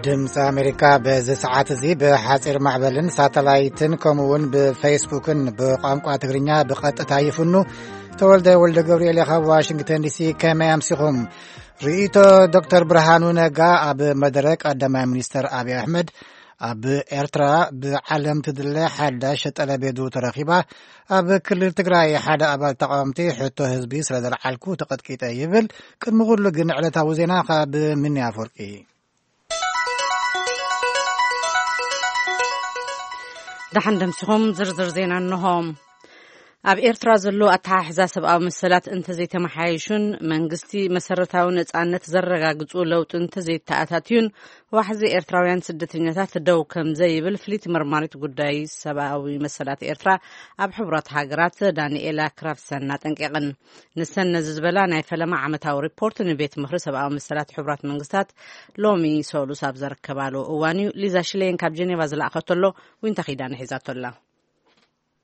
ድምፂ ኣሜሪካ በዚ ሰዓት እዚ ብሓፂር ማዕበልን ሳተላይትን ከምኡ እውን ብፌስቡክን ብቋንቋ ትግርኛ ብቐጥታ ይፍኑ። ተወልደ ወልደ ገብርኤል ካብ ዋሽንግተን ዲሲ። ከመይ ኣምሲኹም? ርእይቶ ዶክተር ብርሃኑ ነጋ ኣብ መደረ ቀዳማይ ሚኒስተር ኣብይ ኣሕመድ፣ ኣብ ኤርትራ ብዓለም ትድለ ሓዳሽ ጠለቤቱ ተረኺባ፣ ኣብ ክልል ትግራይ ሓደ ኣባል ተቃወምቲ ሕቶ ህዝቢ ስለ ዘልዓልኩ ተቐጥቂጠ ይብል። ቅድሚ ኩሉ ግን ዕለታዊ ዜና ካብ ሚኒ ኣፈወርቂ። ደሓን ደምሲኹም ዝርዝር ዜና እንሆ። ኣብ ኤርትራ ዘሎ ኣተሓሕዛ ሰብኣዊ መሰላት እንተዘይተመሓየሹን መንግስቲ መሰረታዊ ነጻነት ዘረጋግጹ ለውጢ እንተዘይተኣታትዩን ዋሕዚ ኤርትራውያን ስደተኛታት ደው ከም ዘይብል ፍሊት መርማሪት ጉዳይ ሰብኣዊ መሰላት ኤርትራ ኣብ ሕቡራት ሃገራት ዳንኤላ ክራፍሰን ኣጠንቂቐን። ንሰን ነዚ ዝበላ ናይ ፈለማ ዓመታዊ ሪፖርት ንቤት ምኽሪ ሰብኣዊ መሰላት ሕቡራት መንግስታት ሎሚ ሰሉስ ኣብ ዘረከባሉ እዋን እዩ። ሊዛ ሽሌን ካብ ጀኔቫ ዝለኣኸቶ ኣሎ፣ ዊንታ ኺዳነ ሒዛቶ ኣላ።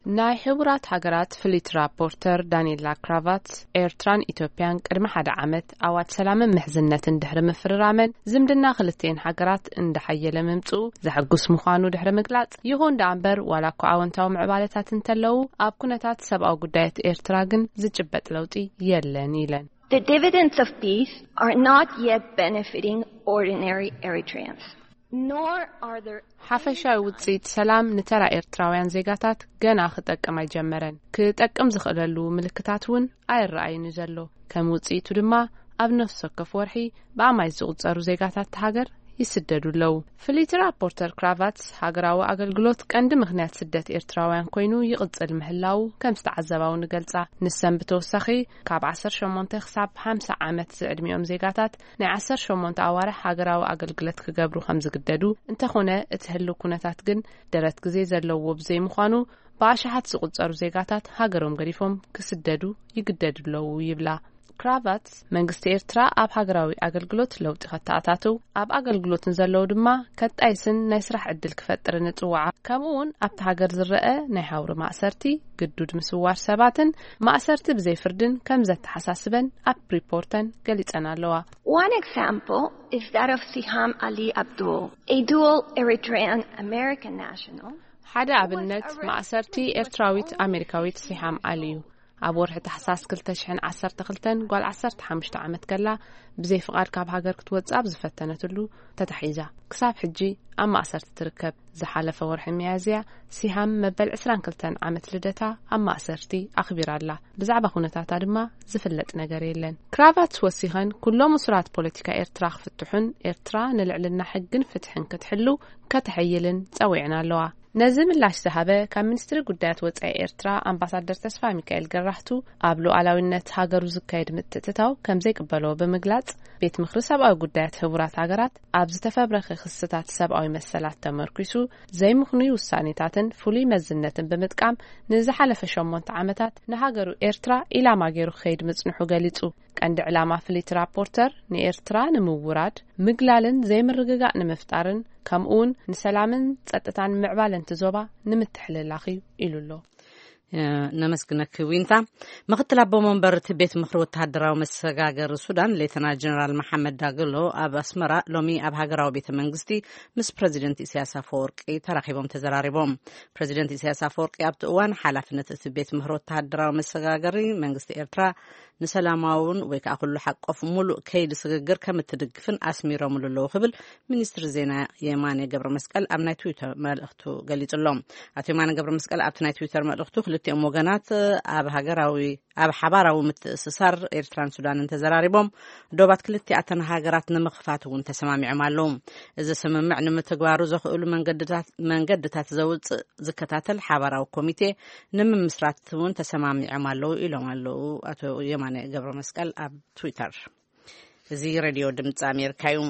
ናይ ሕቡራት ሃገራት ፍሊት ራፖርተር ዳንኤላ ክራቫት፣ ኤርትራን ኢትዮጵያን ቅድሚ ሓደ ዓመት ኣዋጅ ሰላምን ምሕዝነትን ድሕሪ ምፍርራመን፣ ዝምድና ክልቲኤን ሃገራት እንዳሓየለ ምምጽኡ ዘሐጉስ ምዃኑ ድሕሪ ምግላጽ፣ ይኹን ደኣ እምበር ዋላ እኳ ኣወንታዊ ምዕባለታት እንተለዉ፣ ኣብ ኩነታት ሰብኣዊ ጉዳያት ኤርትራ ግን ዝጭበጥ ለውጢ የለን ኢለን። The dividends of peace are not yet benefiting ordinary Eritreans, nor are there ሓፈሻዊ ውጽኢት ሰላም ንተራ ኤርትራውያን ዜጋታት ገና ክጠቅም ኣይጀመረን። ክጠቅም ዝኽእለሉ ምልክታት እውን ኣይረኣይን እዩ ዘሎ። ከም ውጽኢቱ ድማ ኣብ ነፍሲ ወከፍ ወርሒ ብኣማይት ዝቑጸሩ ዜጋታት እታ ሃገር ይስደዱ ኣለዉ። ፍሊት ራፖርተር ክራቫትስ፣ ሃገራዊ ኣገልግሎት ቀንዲ ምኽንያት ስደት ኤርትራውያን ኮይኑ ይቕጽል ምህላዉ ከም ዝተዓዘባ እውን ይገልጻ። ንሰን ብተወሳኺ፣ ካብ ዓሰርተ ሸሞንተ ክሳብ ሓምሳ ዓመት ዝዕድሚኦም ዜጋታት ናይ ዓሰርተ ሸሞንተ ኣዋርሕ ሃገራዊ ኣገልግሎት ክገብሩ ከም ዝግደዱ፣ እንተኾነ እቲ ህልው ኩነታት ግን ደረት ግዜ ዘለዎ ብዘይምዃኑ፣ ብኣሽሓት ዝቑጸሩ ዜጋታት ሃገሮም ገዲፎም ክስደዱ ይግደዱ ኣለዉ ይብላ። ክራቫትስ፣ መንግስቲ ኤርትራ ኣብ ሃገራዊ ኣገልግሎት ለውጢ ከተኣታትው፣ ኣብ ኣገልግሎት ንዘለዉ ድማ ከጣይስን ናይ ስራሕ ዕድል ክፈጥርን እጽውዓ። ከምኡ እውን ኣብቲ ሃገር ዝረአ ናይ ሃውሪ ማእሰርቲ፣ ግዱድ ምስዋር ሰባትን ማእሰርቲ ብዘይ ፍርድን ከም ዘተሓሳስበን ኣብ ሪፖርተን ገሊጸን ኣለዋ። One example is that of Siham Ali Abdul, a dual Eritrean American national ሓደ ኣብነት ማእሰርቲ ኤርትራዊት ኣሜሪካዊት ሲሃም ኣሊ እዩ። ኣብ ወርሒ ታሕሳስ ክልተ ሽሕን ዓሰርተ ክልተን ጓል ዓሰርተ ሓሙሽተ ዓመት ከላ ብዘይ ፍቓድ ካብ ሃገር ክትወጽእ ኣብ ዝፈተነትሉ ተታሒዛ ክሳብ ሕጂ ኣብ ማእሰርቲ ትርከብ። ዝሓለፈ ወርሒ ሚያዝያ ሲሃም መበል ዕስራን ክልተን ዓመት ልደታ ኣብ ማእሰርቲ ኣኽቢራ ኣላ። ብዛዕባ ኩነታታ ድማ ዝፍለጥ ነገር የለን። ክራቫትስ ወሲኸን፣ ኩሎም እሱራት ፖለቲካ ኤርትራ ክፍትሑን ኤርትራ ንልዕልና ሕግን ፍትሕን ክትሕሉ ከተሐይልን ጸዊዐን ኣለዋ። ነዚ ምላሽ ዝሃበ ካብ ሚኒስትሪ ጉዳያት ወጻኢ ኤርትራ ኣምባሳደር ተስፋ ሚካኤል ገራህቱ፣ ኣብ ሉዓላዊነት ሃገሩ ዝካየድ ምትእትታው ከም ዘይቅበሎ ብምግላጽ፣ ቤት ምኽሪ ሰብኣዊ ጉዳያት ህቡራት ሃገራት ኣብ ዝተፈብረኸ ክስታት ሰብኣዊ መሰላት ተመርኲሱ ዘይምኽኑይ ውሳኔታትን ፍሉይ መዝነትን ብምጥቃም ንዝሓለፈ ሸሞንተ ዓመታት ንሃገሩ ኤርትራ ኢላማ ገይሩ ክኸይድ ምጽንሑ ገሊጹ። ቀንዲ ዕላማ ፍሊት ራፖርተር ንኤርትራ ንምውራድ፣ ምግላልን ዘይምርግጋእ ንምፍጣርን፣ ከምኡውን ንሰላምን ጸጥታን ምዕባለንቲ ዞባ ንምትሕልላኽ እዩ ኢሉ ኣሎ። ነመስግነኪ ዊንታ። ምክትል ኣቦ መንበር እቲ ቤት ምኽሪ ወተሃደራዊ መሰጋገሪ ሱዳን ሌተና ጀነራል መሓመድ ዳግሎ ኣብ ኣስመራ ሎሚ ኣብ ሃገራዊ ቤተ መንግስቲ ምስ ፕረዚደንት ኢሳያስ ኣፈወርቂ ተራኺቦም ተዘራሪቦም። ፕረዚደንት ኢሳያስ ኣፈወርቂ ኣብቲ እዋን ሓላፍነት እቲ ቤት ምኽሪ ወተሃደራዊ መሰጋገሪ መንግስቲ ኤርትራ ንሰላማውን ወይ ከዓ ኩሉ ሓቆፍ ሙሉእ ከይዲ ስግግር ከም እትድግፍን ኣስሚሮምሉ ኣለዉ ክብል ሚኒስትሪ ዜና የማነ ገብረ መስቀል ኣብ ናይ ትዊተር መልእኽቱ ገሊጹ ኣሎ። ኣቶ የማነ ገብረ መስቀል ኣብቲ ናይ ትዊተር መልእኽቱ ክልቲኦም ወገናት ኣብ ሃገራዊ ኣብ ሓባራዊ ምትእስሳር ኤርትራን ሱዳንን ተዘራሪቦም ዶባት ክልቲኣተን ሃገራት ንምኽፋት እውን ተሰማሚዖም ኣለዉ። እዚ ስምምዕ ንምትግባሩ ዘኽእሉ መንገድታት መንገድታት ዘውፅእ ዝከታተል ሓባራዊ ኮሚቴ ንምምስራት እውን ተሰማሚዖም ኣለዉ ኢሎም ኣለዉ ኣቶ የማነ ገብረ መስቀል ኣብ ትዊተር። እዚ ሬድዮ ድምፂ ኣሜሪካ እዩ።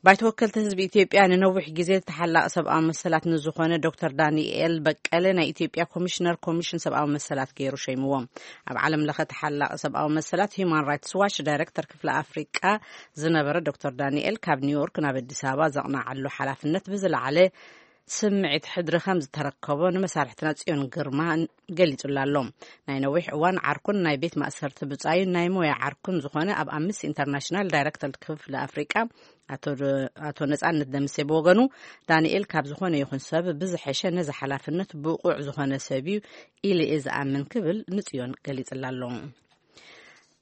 ባይቶ ወከልቲ ህዝቢ ኢትዮጵያ ንነዊሕ ግዜ ተሓላቒ ሰብኣዊ መሰላት ንዝኾነ ዶክተር ዳንኤል በቀለ ናይ ኢትዮጵያ ኮሚሽነር ኮሚሽን ሰብኣዊ መሰላት ገይሩ ሸይምዎ። ኣብ ዓለም ለኸ ተሓላቒ ሰብኣዊ መሰላት ሂዩማን ራይትስ ዋች ዳይሬክተር ክፍሊ ኣፍሪቃ ዝነበረ ዶክተር ዳንኤል ካብ ኒውዮርክ ናብ ኣዲስ ኣበባ ዘቕናዓሉ ሓላፍነት ብዝለዓለ ስምዒት ሕድሪ ከም ዝተረከቦ ንመሳርሕትና ጽዮን ግርማ ገሊጹላ ኣሎ። ናይ ነዊሕ እዋን ዓርኩን ናይ ቤት ማእሰርቲ ብጻዩን ናይ ሞያ ዓርኩን ዝኾነ ኣብ ኣምነስቲ ኢንተርናሽናል ዳይሬክተር ክፍሊ ኣፍሪቃ ኣቶ ደ-፣ ኣቶ ነጻነት ደምሴ ብወገኑ፣ ዳንኤል ካብ ዝኾነ ይኹን ሰብ ብዝሐሸ ነዚ ሓላፍነት ብቑዕ ዝኾነ ሰብ እዩ ኢለ እየ ዝኣምን ክብል ንጽዮን ገሊጽላ ኣሎ።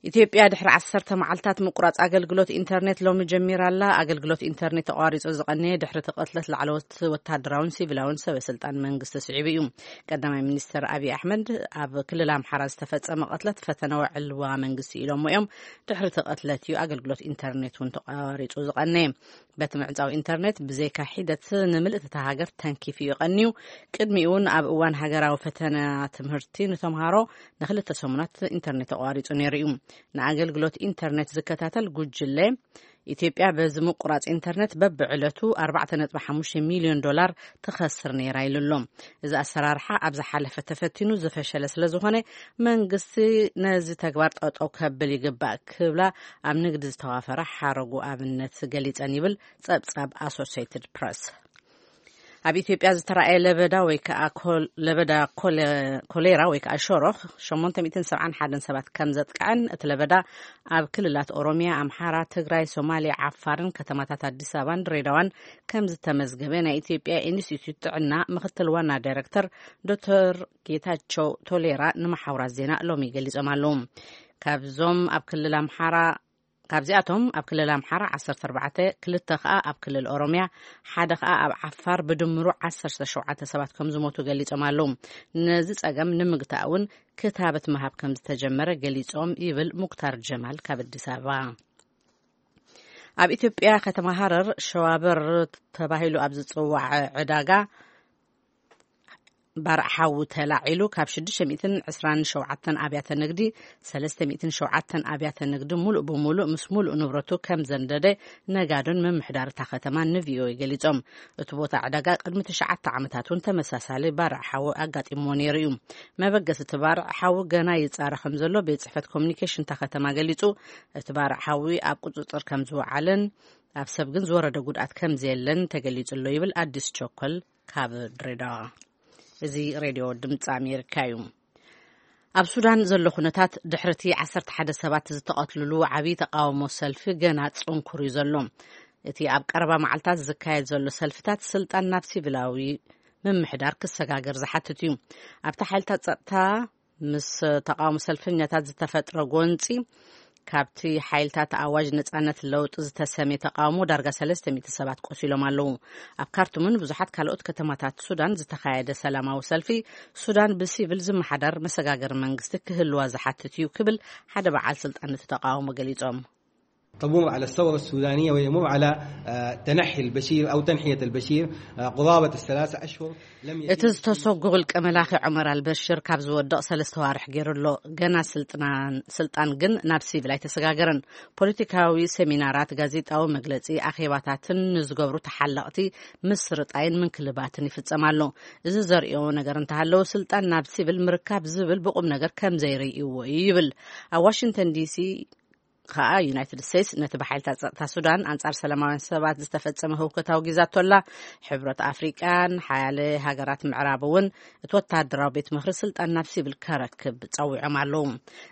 ኢትዮጵያ ድሕሪ ዓሰርተ መዓልታት ምቁራጽ ኣገልግሎት ኢንተርኔት ሎሚ ጀሚራ ኣላ። ኣገልግሎት ኢንተርኔት ተቋሪጹ ዝቐነየ ድሕሪ እቲ ቅትለት ላዕለዎት ወታደራውን ሲቪላውን ሰበ ስልጣን መንግስቲ ስዒቡ እዩ። ቀዳማይ ሚኒስትር ኣብይ ኣሕመድ ኣብ ክልል ኣምሓራ ዝተፈጸመ ቅትለት ፈተነ ወዕልዋ መንግስቲ ኢሎሞ እዮም። ድሕሪ እቲ ቅትለት እዩ ኣገልግሎት ኢንተርኔት እውን ተቋሪጹ ዝቐነየ። በቲ ምዕጻው ኢንተርኔት ብዘይካ ሒደት ንምልእቲ እታ ሃገር ተንኪፉ እዩ ቀንዩ። ቅድሚኡ እውን ኣብ እዋን ሃገራዊ ፈተና ትምህርቲ ንተምሃሮ ንክልተ ሰሙናት ኢንተርኔት ተቋሪጹ ነይሩ እዩ። ንኣገልግሎት ኢንተርኔት ዝከታተል ጉጅለ ኢትዮጵያ በዚ ምቁራጽ ኢንተርኔት በብዕለቱ ኣርባዕተ ነጥቢ ሓሙሽተ ሚልዮን ዶላር ትኸስር ነይራ ኢሉ ኣሎ። እዚ ኣሰራርሓ ኣብ ዝሓለፈ ተፈቲኑ ዝፈሸለ ስለ ዝኾነ መንግስቲ ነዚ ተግባር ጠጠው ከብል ይግባእ ክብላ ኣብ ንግዲ ዝተዋፈራ ሓረጉ ኣብነት ገሊጸን ይብል ጸብጻብ ኣሶሴይትድ ፕረስ። ኣብ ኢትዮጵያ ዝተራእየ ለበዳ ወይ ከዓ ኮል-፣ ለበዳ ኮለ-፣ ኮሌራ ወይ ከዓ ሸሮኽ ሸሞንተ ሚእትን ሰብዓን ሓደን ሰባት ከም ዘጥቅዐን እቲ ለበዳ ኣብ ክልላት ኦሮሚያ፣ ኣምሓራ፣ ትግራይ፣ ሶማሌ፣ ዓፋርን ከተማታት ኣዲስ ኣበባን ድሬዳዋን ከም ዝተመዝገበ ናይ ኢትዮጵያ ኢንስቲትዩት ጥዕና ምክትል ዋና ዳይሬክተር ዶክተር ጌታቸው ቶሌራ ንመሓውራት ዜና ሎሚ ገሊጾም ኣለዉ። ካብዞም ኣብ ክልል ኣምሓራ ካብዚኣቶም ኣብ ክልል ኣምሓራ ዓሰርተ ኣርባዕተ፣ ክልተ ከኣ ኣብ ክልል ኦሮሚያ፣ ሓደ ከኣ ኣብ ዓፋር ብድምሩ ዓሰርተ ሸውዓተ ሰባት ከም ዝሞቱ ገሊጾም ኣለዉ። ነዚ ጸገም ንምግታእ እውን ክታበት ምሃብ ከም ዝተጀመረ ገሊጾም ይብል ሙክታር ጀማል ካብ ኣዲስ ኣበባ። ኣብ ኢትዮጵያ ከተማ ሃረር ሸዋበር ተባሂሉ ኣብ ዝጽዋዕ ዕዳጋ ባርዕ ሓዊ ተላዒሉ ካብ ሽዱሽተ ሚእትን ዕስራን ሸውዓተን ኣብያተ ንግዲ ሰለስተ ሚእትን ሸውዓተን ኣብያተ ንግዲ ሙሉእ ብሙሉእ ምስ ሙሉእ ንብረቱ ከም ዘንደደ ነጋዶን ምምሕዳር እታ ከተማን ንቪኦኤ ገሊጾም። እቲ ቦታ ዕዳጋ ቅድሚ ትሽዓተ ዓመታት እውን ተመሳሳሊ ባርዕ ሓዊ ኣጋጢምዎ ነይሩ እዩ። መበገሲ እቲ ባርዕ ሓዊ ገና ይጻረ ከም ዘሎ ቤት ጽሕፈት ኮሚኒኬሽን እታ ከተማ ገሊጹ። እቲ ባርዕ ሓዊ ኣብ ቁጽጽር ከም ዝወዓለን ኣብ ሰብ ግን ዝወረደ ጉድኣት ከም ዘየለን ተገሊጹ ኣሎ ይብል ኣዲስ ቸኮል ካብ ድሬዳዋ። እዚ ሬድዮ ድምፂ ኣሜሪካ እዩ። ኣብ ሱዳን ዘሎ ኩነታት ድሕሪ እቲ ዓሰርተ ሓደ ሰባት ዝተቐትልሉ ዓብዪ ተቃውሞ ሰልፊ ገና ጽንኩር እዩ ዘሎ። እቲ ኣብ ቀረባ መዓልታት ዝካየድ ዘሎ ሰልፍታት ስልጣን ናብ ሲቪላዊ ምምሕዳር ክሰጋገር ዝሓትት እዩ። ኣብቲ ሓይልታት ጸጥታ ምስ ተቃውሞ ሰልፈኛታት ዝተፈጥረ ጎንፂ፣ ካብቲ ሓይልታት ኣዋጅ ነጻነት ለውጢ ዝተሰምየ ተቃውሞ ዳርጋ ሰለስተ ሚእቲ ሰባት ቆሲሎም ኣለዉ። ኣብ ካርቱምን ብዙሓት ካልኦት ከተማታት ሱዳን ዝተኻየደ ሰላማዊ ሰልፊ፣ ሱዳን ብሲቪል ዝመሓደር መሰጋገሪ መንግስቲ ክህልዋ ዝሓትት እዩ ክብል ሓደ በዓል ስልጣን እቲ ተቃውሞ ገሊጾም። تمر على الثورة السودانية ويمر على، آه، تنحي البشير أو تنحية البشير، آه، قرابة الثلاثة أشهر لم يتم እቲ ዝተሰጉ ውልቀ መላኺ ዑመር ኣልበሽር ካብ ዝወድቕ ሰለስተ ዋርሕ ገይሩ ኣሎ። ገና ስልጥናን-፣ ስልጣን ግን ናብ ሲቪል ኣይተሰጋገረን። ፖለቲካዊ ሴሚናራት፣ ጋዜጣዊ መግለጺ፣ ኣኼባታትን ንዝገብሩ ተሓለቕቲ ምስርጣይን ምንክልባትን ይፍጸም ኣሎ። እዚ ዘርእዮ ነገር እንተሃለወ ስልጣን ናብ ሲቪል ምርካብ ዝብል ብቁም ነገር ከም ዘይርእይዎ እዩ ይብል። ኣብ ዋሽንግተን ዲሲ ከኣ ዩናይትድ ስቴትስ ነቲ ብሓይልታት ጸጥታ ሱዳን ኣንጻር ሰላማውያን ሰባት ዝተፈጸመ ህውከት ኣውጊዛቶ ኣላ። ሕብረት ኣፍሪቃን ሓያለ ሃገራት ምዕራብ እውን እቲ ወተሃደራዊ ቤት ምኽሪ ስልጣን ናብ ሲቪል ከረክብ ጸዊዖም ኣለዉ።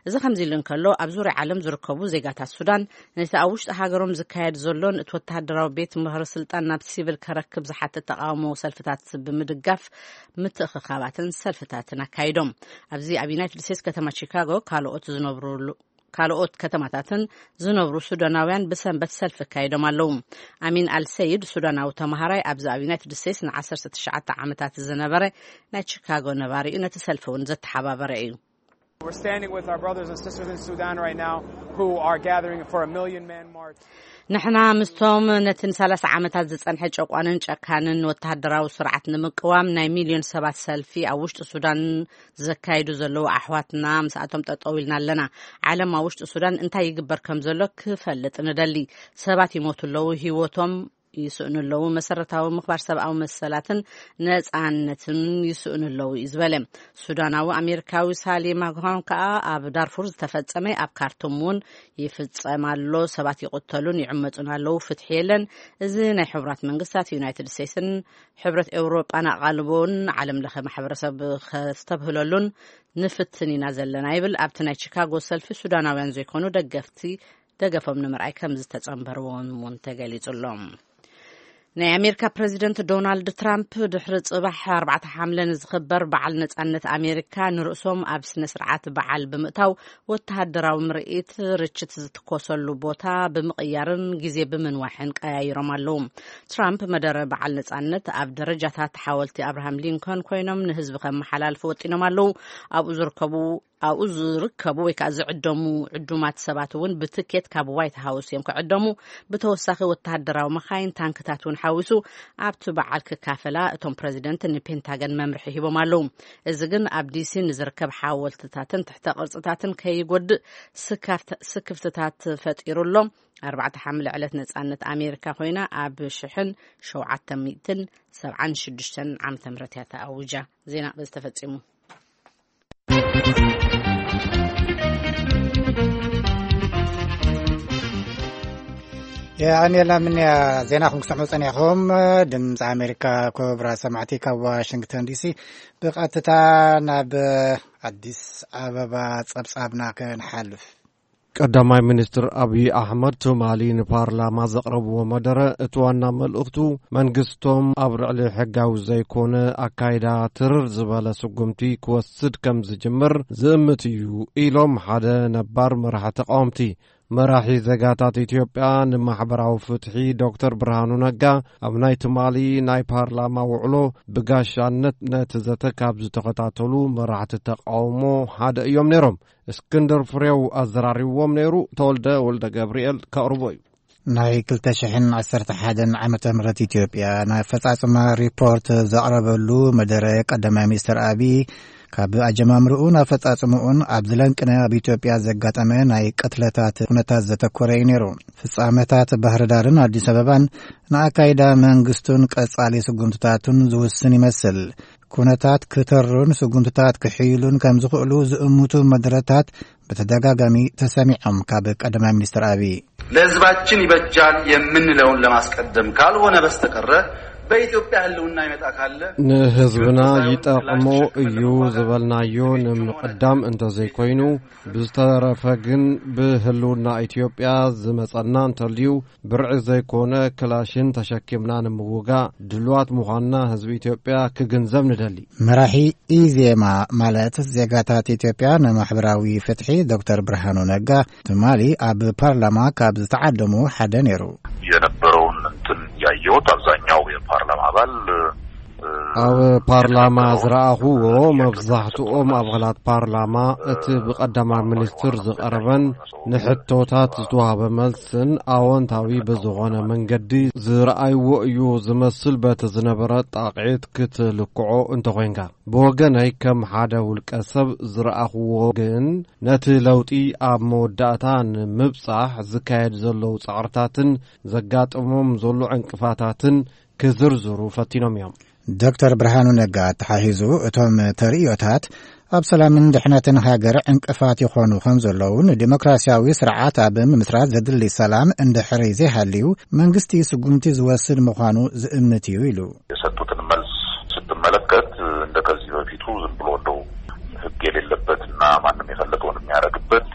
እዚ ከምዚ ኢሉ እንከሎ፣ ኣብ ዙርያ ዓለም ዝርከቡ ዜጋታት ሱዳን ነቲ ኣብ ውሽጢ ሃገሮም ዝካየድ ዘሎን እቲ ወተሃደራዊ ቤት ምኽሪ ስልጣን ናብ ሲቪል ከረክብ ዝሓትት ተቃውሞ ሰልፍታት ብምድጋፍ ምትእኽኻባትን ሰልፍታትን ኣካይዶም። ኣብዚ ኣብ ዩናይትድ ስቴትስ ከተማ ቺካጎ ካልኦት ዝነብሩሉ ካልኦት ከተማታትን ዝነብሩ ሱዳናውያን ብሰንበት ሰልፊ ኣካይዶም ኣለዉ። ኣሚን ኣልሰይድ ሱዳናዊ ተምሃራይ ኣብዚ ኣብ ዩናይትድ ስቴትስ ንዓሰርተ ትሽዓተ ዓመታት ዝነበረ ናይ ቺካጎ ነባሪ እዩ። ነቲ ሰልፊ እውን ዘተሓባበረ እዩ። We're standing with our brothers and sisters in Sudan right now who are gathering for a million man march. ንሕና ምስቶም ነቲ ንሰላሳ ዓመታት ዝጸንሐ ጨቋንን ጨካንን ወተሃደራዊ ስርዓት ንምቅዋም ናይ ሚልዮን ሰባት ሰልፊ ኣብ ውሽጢ ሱዳን ዘካይዱ ዘለዉ ኣሕዋትና ምስኣቶም ጠጠው ኢልና ኣለና። ዓለም ኣብ ውሽጢ ሱዳን እንታይ ይግበር ከም ዘሎ ክፈልጥ ንደሊ። ሰባት ይሞቱ ኣለዉ፣ ህይወቶም ይስእኑ ኣለዉ፣ መሰረታዊ ምኽባር ሰብኣዊ መሰላትን ነጻነትን ይስእኑ ኣለዉ እዩ ዝበለ። ሱዳናዊ ኣሜሪካዊ ሳሊ ማግሃን ከኣ ኣብ ዳርፉር ዝተፈጸመ ኣብ ካርቱም እውን ይፍጸም ኣሎ፣ ሰባት ይቕተሉን ይዕመጹን ኣለዉ፣ ፍትሒ የለን። እዚ ናይ ሕቡራት መንግስታት፣ ዩናይትድ ስቴትስን ሕብረት ኤውሮጳን ኣቓልቦን ዓለም ለኸ ማሕበረሰብ ከስተብህለሉን ንፍትን ኢና ዘለና ይብል። ኣብቲ ናይ ቺካጎ ሰልፊ ሱዳናውያን ዘይኮኑ ደገፍቲ ደገፎም ንምርኣይ ከም ዝተጸንበርዎም እውን ተገሊጹ ኣሎ። ናይ ኣሜሪካ ፕረዚደንት ዶናልድ ትራምፕ ድሕሪ ጽባሕ ኣርባዕተ ሓምለ ንዝኽበር በዓል ነጻነት ኣሜሪካ ንርእሶም ኣብ ስነ ስርዓት በዓል ብምእታው ወተሃደራዊ ምርኢት ርችት ዝትኮሰሉ ቦታ ብምቕያርን ግዜ ብምንዋሕን ቀያይሮም ኣለዉ። ትራምፕ መደረ በዓል ነጻነት ኣብ ደረጃታት ሓወልቲ ኣብርሃም ሊንኮን ኮይኖም ንህዝቢ ከመሓላልፉ ወጢኖም ኣለዉ። ኣብኡ ዝርከቡ ኣብኡ ዝርከቡ ወይ ከዓ ዝዕደሙ ዕዱማት ሰባት እውን ብትኬት ካብ ዋይት ሃውስ እዮም ክዕደሙ። ብተወሳኺ ወተሃደራዊ መኻይን፣ ታንክታት እውን ሓዊሱ ኣብቲ በዓል ክካፈላ እቶም ፕረዚደንት ንፔንታገን መምርሒ ሂቦም ኣለዉ። እዚ ግን ኣብ ዲሲ ንዝርከብ ሓወልትታትን ትሕተ ቅርጽታትን ከይጎድእ ስካፍት-፣ ስክፍትታት ፈጢሩ ኣሎ። ኣርባዕተ ሓምለ ዕለት ነጻነት ኣሜሪካ ኮይና ኣብ ሽሕን ሸውዓተ ሚእትን ሰብዓን ሽዱሽተን ዓመተ ምህረት እያ ተኣዊጃ። ዜና በዚ ተፈጺሙ። የቐንየልና ምንያ ዜናኹም ክሰምዑ ጸኒሕኹም። ድምፂ ኣሜሪካ። ክቡራት ሰማዕቲ፣ ካብ ዋሽንግተን ዲሲ ብቐጥታ ናብ ኣዲስ ኣበባ ጸብጻብና ክንሓልፍ። ቀዳማይ ሚኒስትር ኣብይ ኣሕመድ ትማሊ ንፓርላማ ዘቕረብዎ መደረ፣ እቲ ዋና መልእኽቱ መንግስቶም ኣብ ልዕሊ ሕጋዊ ዘይኮነ ኣካይዳ ትርር ዝበለ ስጉምቲ ክወስድ ከም ዝጅምር ዝእምት እዩ ኢሎም ሓደ ነባር መራሒ ተቃወምቲ። መራሒ ዜጋታት ኢትዮጵያ ንማሕበራዊ ፍትሒ ዶክተር ብርሃኑ ነጋ ኣብ ናይ ትማሊ ናይ ፓርላማ ውዕሎ ብጋሻነት ነቲ ዘተ ካብ ዝተኸታተሉ መራሕቲ ተቃውሞ ሓደ እዮም ነይሮም። እስክንድር ፍሬው ኣዘራሪብዎም ነይሩ። ተወልደ ወልደ ገብርኤል ከቕርቦ እዩ። ናይ ክልተ ሽሕን ዓሰርተ ሓደን ዓመተ ምህረት ኢትዮጵያ ናይ ኣፈጻጽማ ሪፖርት ዘቕረበሉ መደረ ቀዳማይ ሚኒስትር ኣብይ ካብ ኣጀማምርኡን ኣፈጻጽምኡን ኣብ ዝለንቅነ ኣብ ኢትዮጵያ ዘጋጠመ ናይ ቅትለታት ኩነታት ዘተኮረ እዩ ነይሩ። ፍጻመታት ባህር ዳርን ኣዲስ ኣበባን ንኣካይዳ መንግስቱን ቀጻሊ ስጉምትታቱን ዝውስን ይመስል። ኩነታት ክተሩን ስጉምትታት ክሕይሉን ከም ዝኽእሉ ዝእምቱ መደረታት ብተደጋጋሚ ተሰሚዖም ካብ ቀዳማይ ሚኒስትር ኣብይ። ለህዝባችን ይበጃል የምንለውን ለማስቀደም ካልሆነ በስተቀረ በኢትዮጵያ ህልውና ይመጣ ካለ ንህዝብና ይጠቕሞ እዩ ዝበልናዮ ንምቕዳም እንተዘይኮይኑ፣ ብዝተረፈ ግን ብህልውና ኢትዮጵያ ዝመጸና እንተልዩ ብርዒ ዘይኮነ ክላሽን ተሸኪምና ንምውጋእ ድልዋት ምዃንና ህዝቢ ኢትዮጵያ ክግንዘብ ንደሊ። መራሒ ኢዜማ ማለት ዜጋታት ኢትዮጵያ ንማሕበራዊ ፍትሒ ዶክተር ብርሃኑ ነጋ ትማሊ ኣብ ፓርላማ ካብ ዝተዓደሙ ሓደ ነይሩ። የነበረውን እንትን ያየሁት አብዛኛው የፓርላማ አባል፣ እ፣ ኣብ ፓርላማ የነበረውን ዝረኣኹዎ የነበረውን መብዛሕትኦም ኣባላት ፓርላማ እቲ ብቀዳማይ ሚኒስትር ዝቐረበን ንሕቶታት ዝተዋህበ መልስን ኣወንታዊ ብዝኾነ መንገዲ ዝረኣይዎ እዩ ዝመስል። በቲ ዝነበረ ጣቕዒት ክትልክዖ እንተኾይንካ፣ ብወገነይ ከም ሓደ ውልቀ ሰብ ዝረኣኽዎ ግን፣ ነቲ ለውጢ ኣብ መወዳእታ ንምብጻሕ ዝካየድ ዘለዉ ጻዕርታትን ዘጋጥሞም ዘሎ ዕንቅፋታትን ክዝርዝሩ ፈቲኖም እዮም። ዶክተር ብርሃኑ ነጋ ኣተሓሂዙ፣ እቶም ተርእዮታት ኣብ ሰላምን ድሕነትን ሃገር ዕንቅፋት ይኾኑ ከም ዘለዉ፣ ንዲሞክራሲያዊ ስርዓት ኣብ ምምስራት ዘድሊ ሰላም እንድሕሪ ዘይሃልዩ፣ መንግስቲ ስጉምቲ ዝወስድ ምዃኑ ዝእምት እዩ ኢሉ። የሰጡትን መልስ ስትመለከት፣ እንደ ከዚህ በፊቱ ዝም ብሎ እንደው ህግ የሌለበትና ማንም የፈለገውን የሚያደርግበት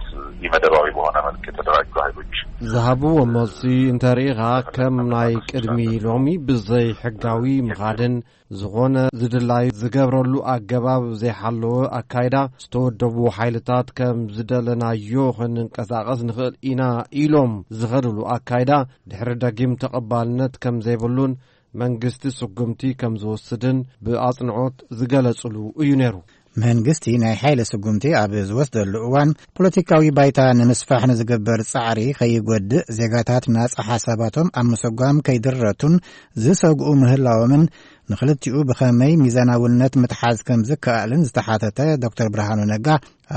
ኢመደባዊ በሆነ መልክ የተደራጁ ኃይሎች ዝሃብዎ መልሲ እንተርኢኻ፣ ከም ናይ ቅድሚ ሎሚ ብዘይ ሕጋዊ ምኻድን ዝኾነ ዝድላይ ዝገብረሉ ኣገባብ ዘይሓለወ ኣካይዳ፣ ዝተወደቡ ሓይልታት ከም ዝደለናዮ ክንንቀሳቐስ ንኽእል ኢና ኢሎም ዝኸድሉ ኣካይዳ ድሕሪ ደጊም ተቐባልነት ከም ዘይብሉን መንግስቲ ስጉምቲ ከም ዝወስድን ብኣጽንዖት ዝገለጽሉ እዩ ነይሩ። መንግስቲ ናይ ሓይሊ ስጉምቲ ኣብ ዝወስደሉ እዋን፣ ፖለቲካዊ ባይታ ንምስፋሕ ንዝግበር ጻዕሪ ከይጎድእ፣ ዜጋታት ናጻ ሓሳባቶም ኣብ ምሰጓም ከይድረቱን ዝሰግኡ ምህላዎምን፣ ንኽልቲኡ ብኸመይ ሚዛናውነት ምትሓዝ ከም ዝከኣልን ዝተሓተተ ዶክተር ብርሃኑ ነጋ፣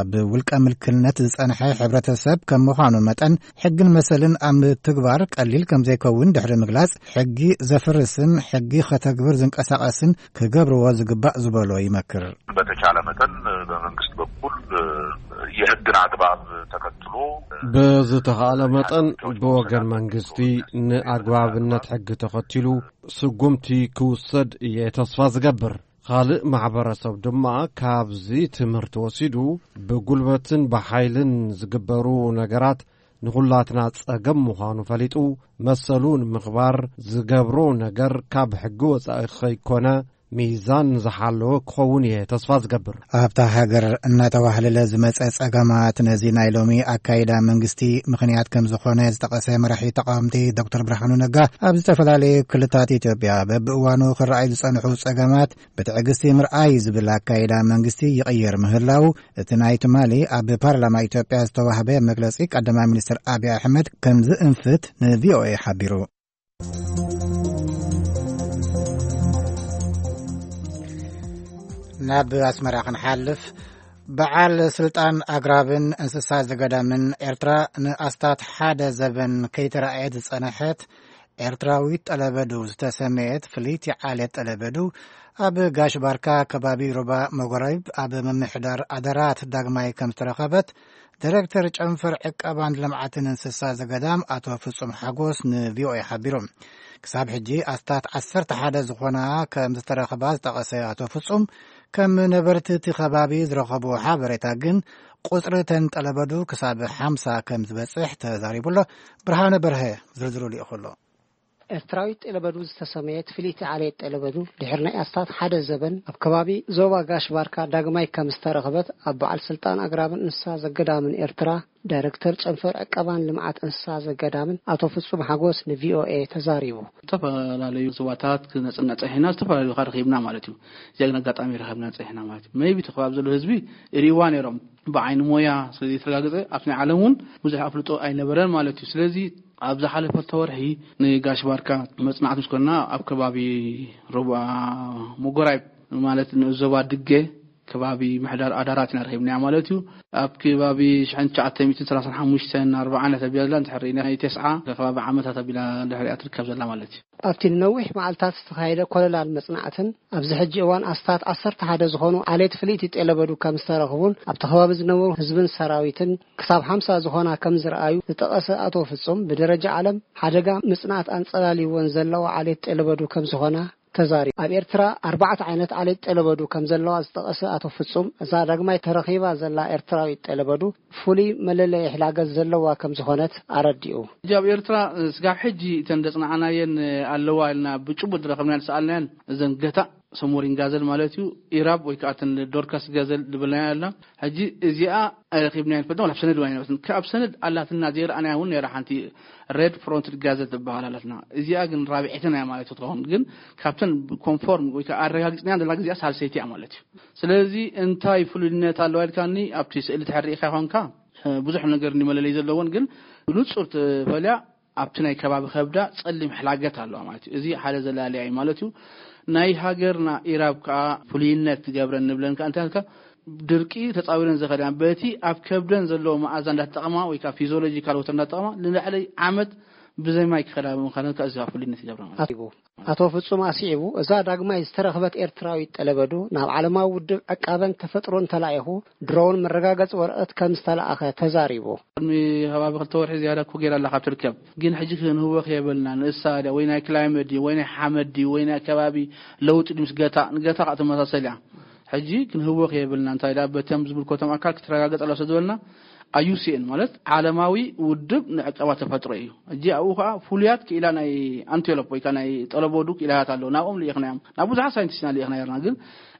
ኣብ ውልቀ ምልክነት ዝጸንሐ ሕብረተሰብ ከም ምዃኑ መጠን፣ ሕግን መሰልን ኣብ ምትግባር ቀሊል ከም ዘይከውን ድሕሪ ምግላጽ፣ ሕጊ ዘፍርስን ሕጊ ከተግብር ዝንቀሳቐስን ክገብርዎ ዝግባእ ዝበሎ ይመክር። በተቻለ መጠን በመንግስት በኩል የህግን አግባብ ተከትሎ በዝተኻእለ መጠን ብወገን መንግስቲ ንኣግባብነት ሕጊ ተኸቲሉ ስጉምቲ ክውሰድ እየ ተስፋ ዝገብር። ካልእ ማሕበረሰብ ድማ ካብዚ ትምህርቲ ወሲዱ ብጉልበትን ብሓይልን ዝግበሩ ነገራት ንኹላትና ጸገም ምዃኑ ፈሊጡ መሰሉ ንምኽባር ዝገብሮ ነገር ካብ ሕጊ ወጻኢ ከይኮነ ሚዛን ዝሓለወ ክኸውን እየ ተስፋ ዝገብር። ኣብታ ሃገር እናተዋህለለ ዝመጸ ጸገማት ነዚ ናይ ሎሚ ኣካይዳ መንግስቲ ምኽንያት ከም ዝኾነ ዝጠቐሰ መራሒ ተቃወምቲ ዶክተር ብርሃኑ ነጋ፣ ኣብ ዝተፈላለዩ ክልታት ኢትዮጵያ በብእዋኑ ክረኣዩ ዝጸንሑ ጸገማት ብትዕግስቲ ምርኣይ ዝብል ኣካይዳ መንግስቲ ይቕየር ምህላው፣ እቲ ናይ ትማሊ ኣብ ፓርላማ ኢትዮጵያ ዝተዋህበ መግለጺ ቀዳማይ ሚኒስትር ኣብይ ኣሕመድ ከም ዝእንፍት ንቪኦኤ ሓቢሩ። ናብ ኣስመራ ክንሓልፍ፣ በዓል ስልጣን ኣግራብን እንስሳ ዘገዳምን ኤርትራ ንኣስታት ሓደ ዘበን ከይተራእየት ዝጸንሐት ኤርትራዊት ጠለበዱ ዝተሰመየት ፍልይቲ ዓሌት ጠለበዱ፣ ኣብ ጋሽ ባርካ ከባቢ ሩባ መጎራይብ ኣብ ምምሕዳር ኣደራት ዳግማይ ከም ዝተረኸበት፣ ዳይሬክተር ጨንፈር ዕቀባን ልምዓትን እንስሳ ዘገዳም ኣቶ ፍጹም ሓጎስ ንቪኦኤ ሓቢሩ። ክሳብ ሕጂ ኣስታት ዓሰርተ ሓደ ዝኾና ከም ዝተረኸባ ዝጠቐሰ ኣቶ ፍጹም፣ ከም ነበርቲ እቲ ከባቢ ዝረኸብዎ ሓበሬታ ግን፣ ቁጽሪ እተን ጠለበዱ ክሳብ ሓምሳ ከም ዝበጽሕ ተዛሪቡ ኣሎ። ብርሃነ በርሀ ዝርዝሩ ልኢኹ ኣሎ። ኤርትራዊት ጠለበዱ ዝተሰመየት ፍልይቲ ዓሌት ጠለበዱ፣ ድሕሪ ናይ ኣስታት ሓደ ዘበን ኣብ ከባቢ ዞባ ጋሽ ባርካ ዳግማይ ከም ዝተረኸበት፣ ኣብ በዓል ስልጣን ኣግራብን እንስሳ ዘገዳምን ኤርትራ፣ ዳይሬክተር ጨንፈር ዕቀባን ልምዓት እንስሳ ዘገዳምን ኣቶ ፍጹም ሓጎስ ንቪኦኤ ተዛሪቡ። ዝተፈላለዩ ዞባታት ክነጽንዕ ጸኒሕና፣ ዝተፈላለዩ ከኣ ረኺብና ማለት እዩ። እዚ ግን ኣጋጣሚ ረኸብና ጸኒሕና ማለት እዩ። ሜይቢ እቲ ከባቢ ዘሎ ህዝቢ ይርእይዋ ነይሮም። ብዓይኒ ሞያ ስለ ዘይተረጋገጸ፣ ኣብቲ ናይ ዓለም እውን ብዙሕ ኣፍልጦ ኣይነበረን ማለት እዩ። ስለዚ ኣብ ዝሓለፈ ክልተ ወርሒ ንጋሽ ባርካ መጽናዕቲ ምስ ኮንና፣ ኣብ ከባቢ ሩባ መጎራይብ ማለት ንዞባ ድገ ከባቢ ምሕዳር ኣዳራት ኢና ረኺብናያ ማለት እዩ። ኣብ ከባቢ ሽሕን ትሽዓተ ሚእትን ሰላሳን ሓሙሽተን ኣርባዓን እያ ተቢላ ዘላ፣ እንድሕር ርኢና ናይ ተስዓ ከባቢ ዓመታት ኣቢላ ድሕሪኣ ትርከብ ዘላ ማለት እዩ። ኣብቲ ንነዊሕ መዓልታት ዝተኻየደ ኮለላን መጽናዕትን፣ ኣብዚ ሕጂ እዋን ኣስታት ዓሰርተ ሓደ ዝኾኑ ዓሌት ፍልይቲ ጤለበዱ ከም ዝተረኽቡን ኣብቲ ከባቢ ዝነበሩ ህዝብን ሰራዊትን ክሳብ ሓምሳ ዝኾና ከም ዝረኣዩ ዝጠቐሰ ኣቶ ፍጹም፣ ብደረጃ ዓለም ሓደጋ ምጽናት ኣንጸላልይወን ዘለዋ ዓሌት ጤለበዱ ከም ዝኾና ተዛሪቡ። ኣብ ኤርትራ ኣርባዕተ ዓይነት ዓሌት ጤለበዱ ከም ዘለዋ ዝጠቐሰ ኣቶ ፍጹም፣ እዛ ዳግማይ ተረኺባ ዘላ ኤርትራዊት ጤለበዱ ፍሉይ መለለዪ ሕላገት ዘለዋ ከም ዝኾነት ኣረዲኡ። ሕጂ ኣብ ኤርትራ ስጋብ ሕጂ እተን ዘጽናዕናየን ኣለዋ ኢልና ብጭቡጥ ዝረኸብናየን ዝሰኣልናየን እዘን ገታእ ሰሞሪን ጋዘል ማለት እዩ፣ ኢራብ ወይ ከዓ እተን ዶርካስ ጋዘል ዝበልናያ ኣላ። ሕጂ እዚኣ ኣይረኺብናያን ንፈልጥ፣ ዋላ ኣብ ሰነድ ዋላ ኣይነበረትን። ካብ ሰነድ ኣላትና ዘይረኣናያ እውን ነይራ ሓንቲ ሬድ ፍሮንትድ ጋዘል ትበሃል ኣላትና። እዚኣ ግን ራብዐይተን እያ ማለት ትኸውን። ግን ካብተን ኮንፎርም ወይ ከዓ ኣረጋጊጽናያ ዘለና ግዜኣ ሳልሰይቲ እያ ማለት እዩ። ስለዚ እንታይ ፍሉይነት ኣለዋ ኢልካኒ፣ ኣብቲ ስእሊ ትሕር ርኢኻ ይኾንካ፣ ብዙሕ ነገር እንዲ መለለይ ዘለዎን፣ ግን ብንጹር ትፈልያ ኣብቲ ናይ ከባቢ ከብዳ ጸሊም ሕላገት ኣለዋ ማለት እዩ። እዚ ሓደ ዘላለያ እዩ ማለት እዩ። ናይ ሃገርና ኢራብ ከኣ ፍሉይነት ዝገብረን ንብለን ከኣ እንታይ ኢልካ፣ ድርቂ ተጻዊረን ዝኸዳ በቲ ኣብ ከብደን ዘለዎ መኣዛ እንዳተጠቐማ ወይ ከኣ ፊዚዮሎጂካል ወተር እንዳተጠቐማ ንላዕሊ ዓመት ብዘይ ማይ ክኸዳ ብምዃነን ከኣ እዚ ፍሉይነት ይገብራ ማለት እዩ። ኣቶ ፍጹም ኣስዒቡ፣ እዛ ዳግማይ ዝተረኽበት ኤርትራዊት ጠለበዱ ናብ ዓለማዊ ውድብ ዕቃበን ተፈጥሮን ተላኢኹ ድሮውን መረጋገጺ ወረቐት ከም ዝተላእኸ ተዛሪቡ። ቅድሚ ከባቢ ክልተ ወርሒ ዝያዳ እኮ ገይራ ኣላ ካብ ትርከብ። ግን ሕጂ ክንህወኽ የብልና። ንእሳ ድያ ወይ ናይ ክላይመት ድዩ ወይ ናይ ሓመድ ድዩ ወይ ናይ ከባቢ ለውጢ ድዩ ምስ ገታ፣ ንገታ ከዓ ትመሳሰል እያ። ሕጂ ክንህወኽ የብልና። እንታይ ደኣ በቶም ዝምልከቶም ኣካል ክትረጋገጽ ኣለዋ ስለ ዝበልና ኣይ ዩ ሲ ኤን ማለት ዓለማዊ ውድብ ንዕቀባ ተፈጥሮ እዩ። ሕጂ ኣብኡ ከዓ ፍሉያት ክኢላ ናይ ኣንቴሎፕ ወይ ከዓ ናይ ጠለቦዱ ክኢላታት ኣለዉ። ናብኦም ልኢኽናዮም። ናብ ብዙሓት ሳይንቲስትና ልኢኽና ነርና። ግን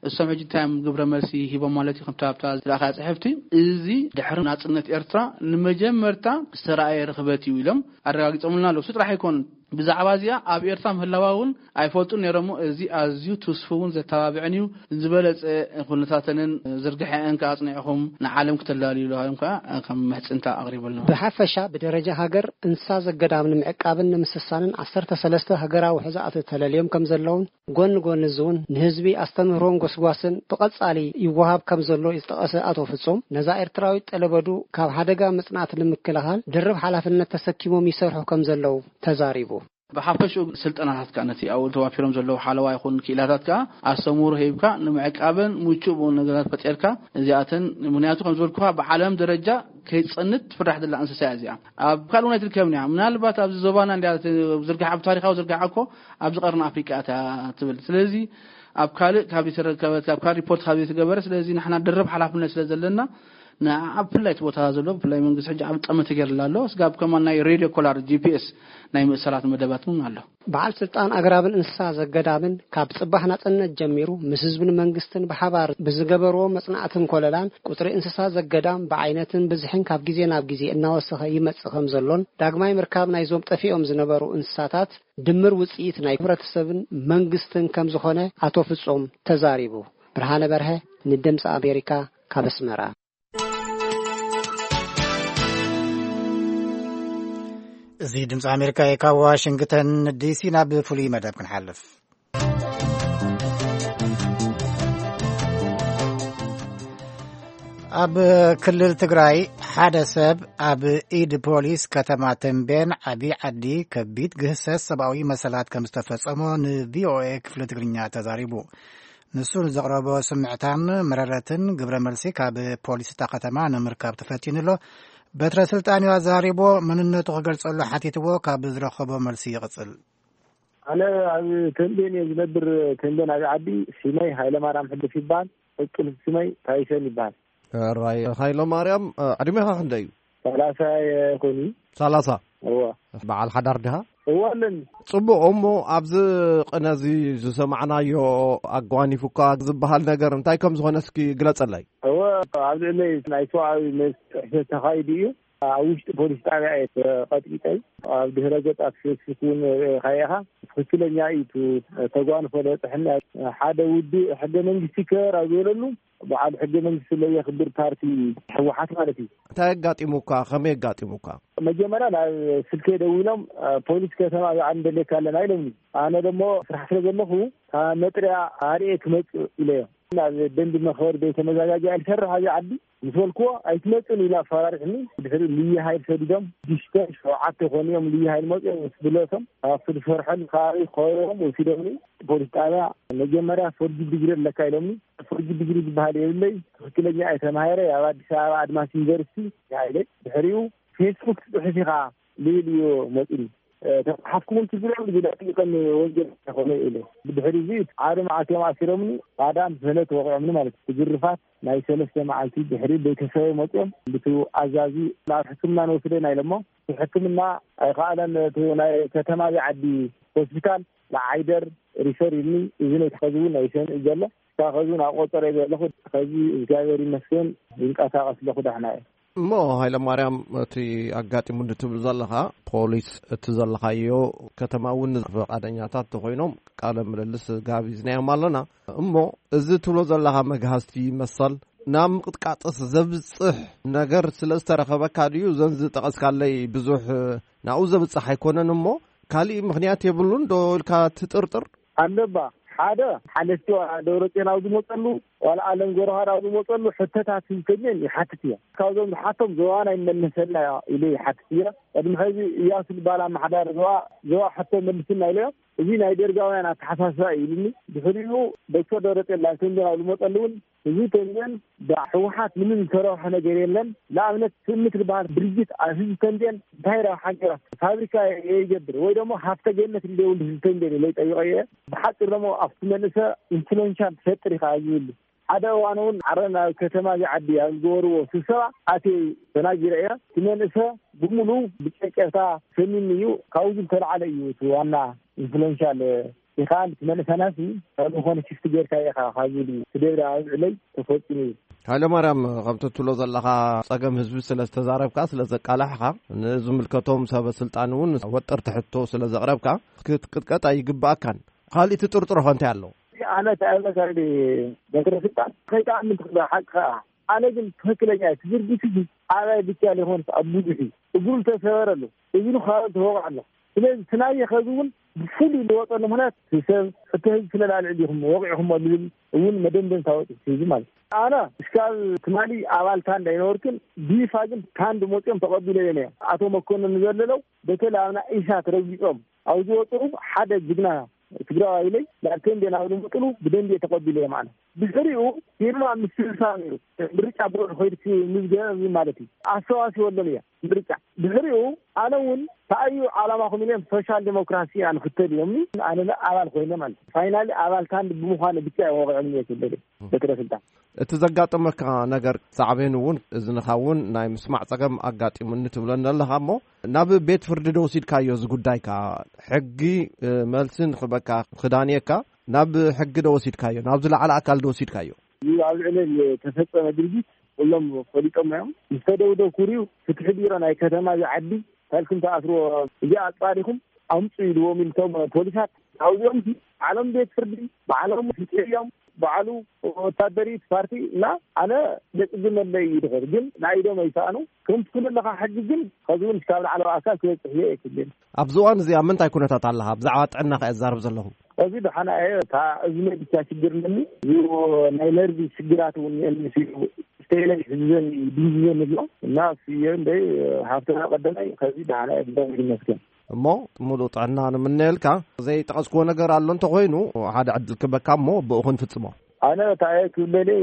እሶም ሕጂ እንታይ እዮም ግብረ መልሲ ሂቦም ማለት እዩ? ከምታ ኣብታ ዝለኣኸያ ጽሕፍቲ፣ እዚ ድሕሪ ናጽነት ኤርትራ ንመጀመርታ ዝተረኣየ ርኽበት እዩ ኢሎም ኣረጋጊጾምልና ኣለዉ። እሱ ጥራሕ ኣይኮኑን። ብዛዕባ እዚኣ ኣብ ኤርትራ ምህላዋ እውን ኣይፈልጡን ነይሮም። እዚ ኣዝዩ ትስፉውን ዘተባብዕን እዩ። ዝበለጸ ኩነታተንን ዝርግሐአን ከኣ ኣጽኒዕኹም ንዓለም ክተላልዩሉ ሃዮም ከኣ ከም ምሕጽንታ ኣቕሪቡ ኣሎ። ብሓፈሻ ብደረጃ ሃገር እንስሳ ዘገዳም ንምዕቃብን ንምስሳንን ዓሰርተ ሰለስተ ሃገራዊ ሕዛእቲ ተለልዮም ከም ዘለውን ጎኒ ጎኒ እዚ እውን ንህዝቢ ኣስተምህሮን ጎስጓስን ብቐጻሊ ይወሃብ ከም ዘሎ ዝጠቐሰ ኣቶ ፍጹም፣ ነዛ ኤርትራዊት ጠለበዱ ካብ ሓደጋ ምጽናት ንምክልኻል ድርብ ሓላፍነት ተሰኪሞም ይሰርሑ ከም ዘለዉ ተዛሪቡ። ብሓፈሽኡ ስልጠናታት ከኣ ነቲ ኣብኡ ተዋፊሮም ዘለዉ ሓለዋ ይኹን ክኢላታት ከኣ ኣስተምህሮ ሂብካ ንምዕቃበን ምቹእ ብኡ ነገራት ፈጢርካ እዚኣተን፣ ምኽንያቱ ከም ዝበልኩኻ ብዓለም ደረጃ ከይጸንት ትፍራሕ ዘላ እንስሳ እያ እዚኣ። ኣብ ካልእ እውን ኣይትርከብን እያ። ምናልባት ኣብዚ ዞባና እንድያ ዝርግሓ፣ ኣብ ታሪኻዊ ዝርግሓ እኮ ኣብዚ ቀርኒ ኣፍሪቃ እያ ትብል። ስለዚ ኣብ ካልእ ካብ ዘይተረከበት፣ ኣብ ካልእ ሪፖርት ካብ ዘይተገበረ፣ ስለዚ ንሕና ድርብ ሓላፍነት ስለ ዘለና ንዓ ኣብ ፍላይ እቲ ቦታ ዘሎ ብፍላይ መንግስቲ ሕጂ ኣብ ጠመተ ገይርላ ኣሎ። ስጋብ ከማን ናይ ሬድዮ ኮላር ጂ ፒ ኤስ ናይ ምእሰራት መደባት እውን ኣሎ። በዓል ስልጣን ኣግራብን እንስሳ ዘገዳምን ካብ ጽባሕ ናጽነት ጀሚሩ ምስ ህዝብን መንግስትን ብሓባር ብዝገበርዎ መጽናዕትን ኮለላን ቁጽሪ እንስሳ ዘገዳም ብዓይነትን ብዝሕን ካብ ግዜ ናብ ግዜ እናወሰኸ ይመጽእ ከም ዘሎን ዳግማይ ምርካብ ናይዞም ጠፊኦም ዝነበሩ እንስሳታት ድምር ውጽኢት ናይ ሕብረተሰብን መንግስትን ከም ዝኾነ ኣቶ ፍጹም ተዛሪቡ። ብርሃነ በርሀ ንድምፂ ኣሜሪካ ካብ ኣስመራ። እዚ ድምፂ ኣሜሪካ እዩ። ካብ ዋሽንግተን ዲሲ ናብ ፍሉይ መደብ ክንሓልፍ። ኣብ ክልል ትግራይ ሓደ ሰብ ኣብ ኢድ ፖሊስ ከተማ ተምቤን ዓቢ ዓዲ ከቢድ ግህሰት ሰብኣዊ መሰላት ከም ዝተፈጸሞ ን ቪ ኦ ኤ ክፍሊ ትግርኛ ተዛሪቡ። ንሱ ንዘቕረቦ ስምዕታን መረረትን ግብረ መልሲ ካብ ፖሊስ እታ ከተማ ንምርካብ ተፈቲኑ ኣሎ። በትረ ስልጣን እዩ ኣዘራሪቦ፣ መንነቱ ክገልጸሉ ሓቲትዎ፣ ካብ ዝረኸቦ መልሲ ይቕጽል። ኣነ ኣብ ተምቤን እየ ዝነብር። ተምቤን ኣብ ዓዲ ሽመይ ሃይለማርያም ሕልፍ ይበሃል። ቅጽል ሽመይ ታይሰን ይበሃል። ራይ ሃይለ ማርያም፣ ዕድሜኻ ክንደይ እዩ? ሰላሳ ይኾን እዩ። ሰላሳ? እዋ። በዓል ሓዳር ድኻ? እዋ ኣለኒ። ጽቡቕ። እሞ ኣብዚ ቅነ እዚ ዝሰማዕናዮ ኣጓኒፉካ ዝበሃል ነገር እንታይ ከም ዝኾነ እስኪ ግለጸለይ። እወ፣ ኣብ ልዕለይ ናይ ሰብኣዊ መብት ጥሕሰት ተኻይዱ እዩ። ኣብ ውሽጢ ፖሊስ ጣብያ እየ ተቐጥቂጠይ። ኣብ ድህረ ገጽ ኣብ ፌስቡክ እውን ርኢኻዮ ኢኻ። ትኽክለኛ እዩ እቲ ተጓንፎ ዝበጽሐኒ። ሓደ ውድብ ሕገ መንግስቲ ይከበር ኣብ ዝበለሉ በዓል ሕገ መንግስቲ ለየኽብር ፓርቲ ህወሓት ማለት እዩ። እንታይ ኣጋጢሙካ? ከመይ ኣጋጢሙካ? መጀመርያ ናብ ስልከይ ደዊሎም፣ "ፖሊስ ከተማ ኣብኣ ንደልየካ ኣለና" ኢሎምኒ። ኣነ ደሞ ስራሕ ስለ ዘለኹ፣ "ካብ መጥርያ ኣርኤ ክመጽእ" ኢለዮ። ናብ ደንቢ መኽበሪ ቤተ መዛጋጃ ኢል ሰርሕ ኣብዚ ዓዲ ምስ በልክዎ፣ "ኣይትመጽእን" ኢሉ ኣፈራሪሕኒ። ድሕሪ ልዩ ሃይል ሰዲዶም፣ ሽዱሽተ ሸውዓተ ኮኑ እዮም ልዩ ሃይል መጽኦም ምስ ብለቶም፣ ኣብቲ ዝሰርሐሉ ከባቢ ከበቦም ወሲዶምኒ። ፖሊስ ጣብያ መጀመርያ ፎርጅድ ዲግሪ ኣለካ ኢሎምኒ። ፎርጅድ ዲግሪ ዝበሃል የብለይ፣ ትኽክለኛ እየ ተማሂረ፣ ኣብ ኣዲስ ኣበባ ኣድማስ ዩኒቨርሲቲ ኢለ። ድሕሪኡ "ፌስቡክ ትፅሕፍ ኢኻ" ልብል እዩ መፂኒ። "ተፃሓፍኩ እውን ችግር የብሉ፣ ግን ኣጥሊቐኒ ወንጀል ኣይኮነ" ኢለ። ብድሕሪ እዚ ሓደ መዓልቲ እዮም ኣሲሮምኒ። ባዳን ሰለ ተወቂዖምኒ ማለት እዩ። ግርፋት ናይ ሰለስተ መዓልቲ ድሕሪ ቤተሰበይ መፅኦም፣ ብቱ ኣዛዚ ናብ ሕክምና ንወስደና ኢሎሞ፣ እቲ ሕክምና ኣይከኣለን። እቲ ናይ ከተማ ዓዲ ሆስፒታል ንዓይደር ሪፈር ኢልኒ። እዚ ነቲ ኸዚ እውን ኣይሰምዕ ዘሎ። ካብ ኸዚ ናብ ቆፀረ ዘለኹ፣ ኸዚ እግዚኣብሔር ይመስገን ይንቀሳቐስ ኣለኹ፣ ዳሕና እየ። እሞ ሃይለ ማርያም፣ እቲ ኣጋጢሙ ንትብል ዘለኻ፣ ፖሊስ እቲ ዘለኻዮ ከተማ እውን ፈቓደኛታት ተኾይኖም ቃለ ምልልስ ጋቢዝናዮም ኣለና። እሞ እዚ ትብሎ ዘለኻ መግሃስቲ መሰል ናብ ምቕጥቃጥስ ዘብጽሕ ነገር ስለ ዝተረኸበካ ድዩ? እዘን ዝጠቐስካለይ ብዙሕ ናብኡ ዘብጽሕ ኣይኮነን። እሞ ካሊእ ምኽንያት የብሉን ዶ ኢልካ ትጥርጥር? ኣለባ። ሓደ፣ ሓለፍቲ ደብረጽዮን ኣብ ዝመጸሉ፣ ዋላ ኣለም ጎረኻር ኣብ ዝመጸሉ፣ ሕቶታት ህዝተኛን ይሓትት እያ። ካብዞም ዝሓቶም ዞባና ይመለሰልና ኢሉ ይሓትት እያ። ቅድሚ ሕዚ እያሱ ዝበሃል ኣመሓዳሪ ዞባ፣ ዞባ ሕቶ መልስና ኢለዮ። እዚ ናይ ደርጋውያን ኣተሓሳስባ እዩ ኢሉኒ። ድሕሪኡ ዶክተር ደብረጽዮን ናብ ተንቤን ኣብ ዝመጸሉ እውን፣ ህዝቢ ተንቤን ብህወሓት ምንም ዝተረብሐ ነገር የለን። ንኣብነት ትእምት ዝበሃል ድርጅት ኣብ ህዝቢ ተንቤን እንታይ ረብሓ ገይራ? ፋብሪካ ይገብር ወይ ደሞ ሃፍተ ገነት እንደ ይብሉ ህዝቢ ተንቤን ኢለ ይጠይቆ እየ። ብሓፂር ደሞ ኣብቲ መንእሰ ኢንፍሉዌንሻል ትፈጥር ኢኻ ዝብሉ ሓደ እዋን እውን ዓረ ናብ ከተማ እዚ ዓዲ ኣብ ዝገበርዎ ስብሰባ ኣትየ ተናጊረ እየ። እቲ መንእሰ ብምሉ ብጨጨፍታ ሰሚኒ እዩ። ካብኡ ዝተላዓለ እዩ እቲ ዋና ኢንፍሉዌንሻል። ኢኻ እቲ መንእሰናሲ ካብ ዝኾነ ሽፍቲ ጌርካ ኢኻ ካብ ዝብል ስደብዳ ኣብዕለይ ተፈፂሙ እዩ። ሃይለ ማርያም፣ ከምቲ ትብሎ ዘለኻ ጸገም ህዝቢ ስለ ዝተዛረብካ፣ ስለ ዘቃላሕኻ፣ ንዝምልከቶም ሰበ ስልጣን እውን ወጠርቲ ሕቶ ስለ ዘቕረብካ ክትቅጥቀጥ ኣይግባኣካን። ካልእ ትጥርጥሮ ከ እንታይ ኣሎ? ኣነ ተኣመሳሊ በትረ ስልጣን ከይተኣምን ትኽእል ሓቂ ከኣ። ኣነ ግን ትኽክለኛ እቲ ድርጊት እዚ ኣባይ ብቻ ዘይኮነስ ኣብ ብዙሕ እዩ። እግሩ ዝተሰበረ ኣሎ፣ እዝኑ ካብ ተወቕዐ ኣሎ። ስለዚ እቲ ናየ ከዚ እውን ብፍሉይ ዝወፀሉ ምኽንያት ሰብ ሕቶ ህዝቢ ስለላልዕ ዲኹም ወቂዕኹም ዝብል እውን መደምደምታ ወፂ ህዝቢ ማለት እዩ። ኣነ እስካብ ትማሊ ኣባል ታንድ ኣይነበርኩን። ቢፋ ግን ታንድ መፅኦም ተቐቢለዮም እዮም። ኣቶ መኮንን ዘለለው በተለይ ኣብና ኢሳት ረጊፆም ኣብ ዝወፅኡ ሓደ ጅግና ትግራዋይ ኢለይ ናብ ተንቤን ኣብ ዝመጥሉ ብደንቢ እየ ተቐቢለዮም። ኣነ ድሕሪኡ ፊርማ ምስልሳ ነይሩ። ምርጫ ቦርድ ኮይድኪ ምዝገብ ማለት እዩ። ኣሰዋሲወሎም እየ ምርጫ። ድሕሪኡ ኣነ እውን ተኣዩ ዓላማኹም ኢሎም ሶሻል ዴሞክራሲ እያ ንኽተል ኢሎምኒ። ኣነ ኣባል ኮይነ ማለት እዩ። ፋይናሊ ኣባል ታንድ ብምዃነ ብቻ እዮም ወቂዖምኒ እየ ክብል እየ። በትረ ስልጣን እቲ ዘጋጠመካ ነገር ሳዕቤን እውን እዝንኻ እውን ናይ ምስማዕ ጸገም ኣጋጢሙኒ ትብለኒ ኣለኻ እሞ፣ ናብ ቤት ፍርዲ ዶ ወሲድካዮ እዚ ጉዳይካ? ሕጊ፣ እ፣ መልሲ ንኽበካ ክዳንየካ ናብ ሕጊ ዶ ወሲድካዮ? ናብ ዝለዓለ ኣካል ዶ ወሲድካዮ? እዚ ኣብ ልዕለይ ዝተፈጸመ ድርጊት ኩሎም ፈሊጦም እዮም። ምስ ተደብደብኩ ርኡ ፍትሒ ቢሮ ናይ ከተማ እዚ ዓዲ፣ ታልኩም ተኣስርዎ፣ እዚ ኣጻሪኹም ኣምጹ ኢልዎም ኢልቶም ፖሊሳት። ኣብዚኦም ሲ ባዕሎም ቤት ፍርዲ፣ ባዕሎም ፍትሒ እዮም፣ ባዕሉ ወታደሪት ፓርቲ እና ኣነ ደቂ ግመለይ እዩ ድኸር። ግን ናይ ኢዶም ኣይሰኣኑ። ከም ትፍሉ ኣለኻ ሕጂ ግን ከዚ እውን እስካብ ላዕለዋ ኣካል ክበጽሕ እየ ኣይክልን። ኣብዚ እዋን እዚ ኣብ ምንታይ ኩነታት ኣለኻ? ብዛዕባ ጥዕና ከ እዛረብ ዘለኹ። እዚ ደሓና እየ። እታ እዝነይ ብቻ ሽግር ኣለኒ። እዚ ናይ ነርቪ ሽግራት እውን የለኒ ሲሉ ስቴለይ ሕዝዘን ድንዝዘን ኣሎ እና እሱ እየ እንደይ ሃብትና ቀደመይ ከዚ ደሓና እየ ብዛዕባ ይመስገን። እሞ ምሉእ ጥዕና ንምነየልካ። ዘይጠቐስክዎ ነገር ኣሎ እንተኾይኑ ሓደ ዕድል ክበካ እሞ ብኡ ክንፍጽሞ። ኣነ እንታይ እየ ክብለለይ፣